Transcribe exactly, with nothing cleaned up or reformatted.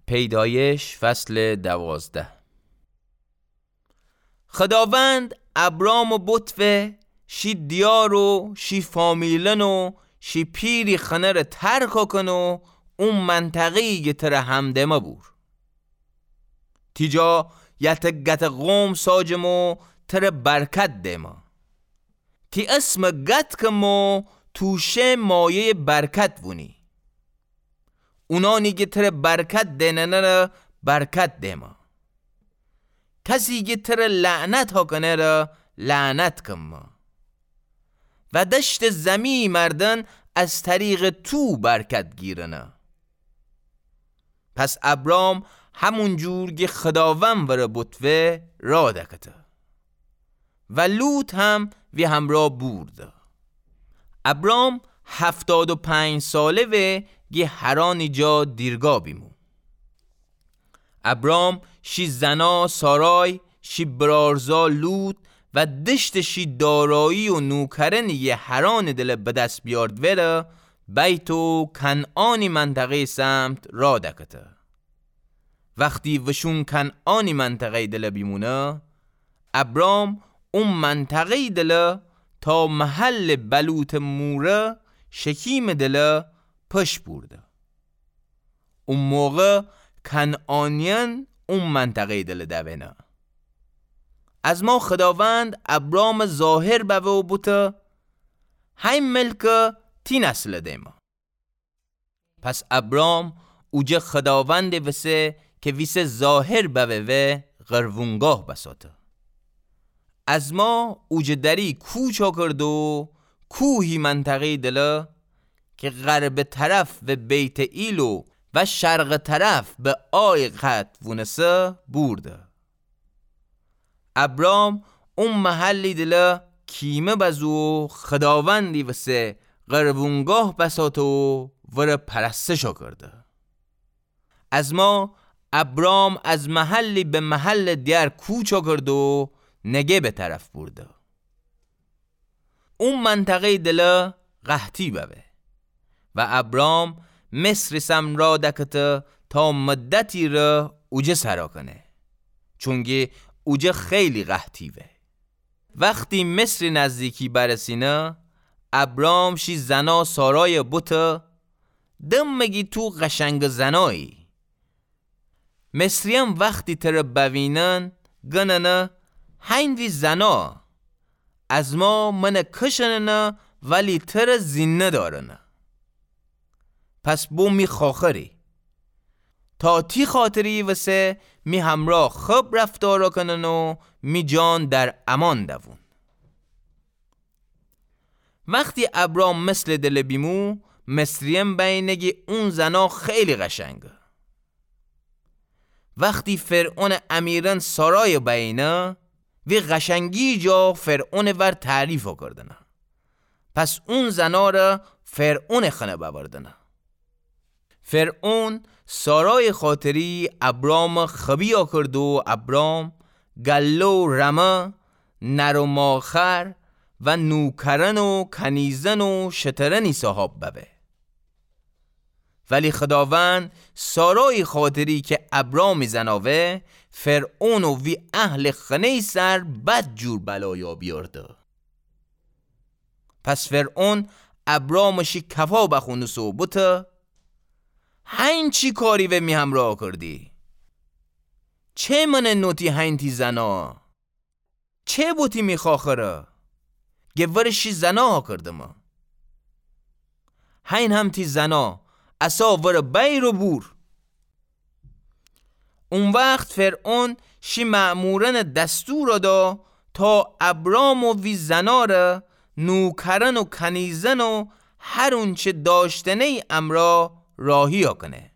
پیدایش فصل دوازده. خداوند ابرامٚ بوتوه شی دیار و شی فامیلأن و شی پیری خنه ره ترک کن و او منطقه‌یی گه تره همدمه بور. تی جا یه تکه قوم ساجم و تره برکت دئمه. تی اسمه قدکم و تو شه مایه‌یٚ برکت وونی. اونانی گه تره برکت دئننه ره برکت دئمه. کسی گه تره لعنت هاکنه ره لعنت کمه. و دشتٚ زمی مردن از طریقٚ تو برکت گیرنه. پس ابرام همون جور گه خداوند وره بوتوه را دکته. و لوط هم وی همرأ بورده. ابرام هفتاد و پنج ساله وه گه حرانٚ جا دیرگا بیمو. ابرام شی زنا سارای، شی برارزا لوط و دشتٚ شی دارایی و نوکرأنی گه حرانٚ دله به دس بیارد وره، بیت و کنعانی منطقه‌یٚ سمت را دکته. وختی وشون کنعانی منطقه‌یٚ دله بیمونه، ابرام او منطقه‌یٚ دله تا محلٚ بلوطٚ موره شکیمٚ دله پش بورده. او موقع کنعانیأن او منطقه‌یٚ دله دوئنه. از ما خداوند ابرامٚ ظاهر بوه و بوته، هی ملکه تی نسله دئمه. پس ابرام اوجه خداوندٚ وسه که ویسه ظاهر بوه وه قربونگاه بساته. از ما اوجه دری کوچ کرد و کوهی منطقه‌یٚ دله که غربٚ طرف به بیت‌ئیل و شرقٚ طرف به آی قد وونسه بورده. ابرام او محلی دله کیمه بزو و خداوندی وسه قربونگاه بساته و وره پرستش کرده. از ما ابرام از محلی به محلٚ دیگر کوچ کرد و نگبٚ طرف بورده. او منطقه‌یٚ دله قحطی بوه و ابرام مصری سم را دکته تا مدتی ره اوجه سرا کنه، چونکی اوجه خیلی قحطی وه. وختی مصری نزدیکی برسینه، ابرام شی زنا سارای بوته، دم مگی تو قشنگٚ زنایی. مصریأن وختی تره بوینن گننه، هین وی زنا. از ما منه کشننه ولی تره زینده دارنه. پس بو می خواخری. تا تی خاطری وسه می همرأ خب رفتار کنن و می جان در امان دوون. وختی ابرام مصرٚ دله بیمو، مصریأن بینه گی اون زنا خیلی قشنگه. وختی فرعونٚ امیرأن سارای بینه، وی قشنگی جا فرعونٚ ور تعریف کردنه. پس اون زنا ره فرعونٚ خنه بأوردنه. فرعون سارای خاطری ابرام خبی کرد و ابرام گله و رمه، نر و ماخر و نوکرأن و کنیزأن و شترأنی صاحاب ببه. ولی خداوند سارای خاطری که ابرامی زنا وه، فرعون و وی اهلٚ خنه‌یٚ سر بد جور بلایا بیارده. پس فرعون ابرام شی کفا بخونسه و بوته، هین چی کاری وه می همرا کردی؟ چه منه نوتی هین تی زنا؟ چه بوتی می خاخره؟ گه ور شی زنا کردمه. هین هم تی زنا، اسا ور بیر و بور. او وخت فرعون شی مأمورأن دستور دا تا ابرام و وی زنا ره، نوکرأن و کنیزأن و هر اونچه داشتنه‌یی امرا راهیا کنه.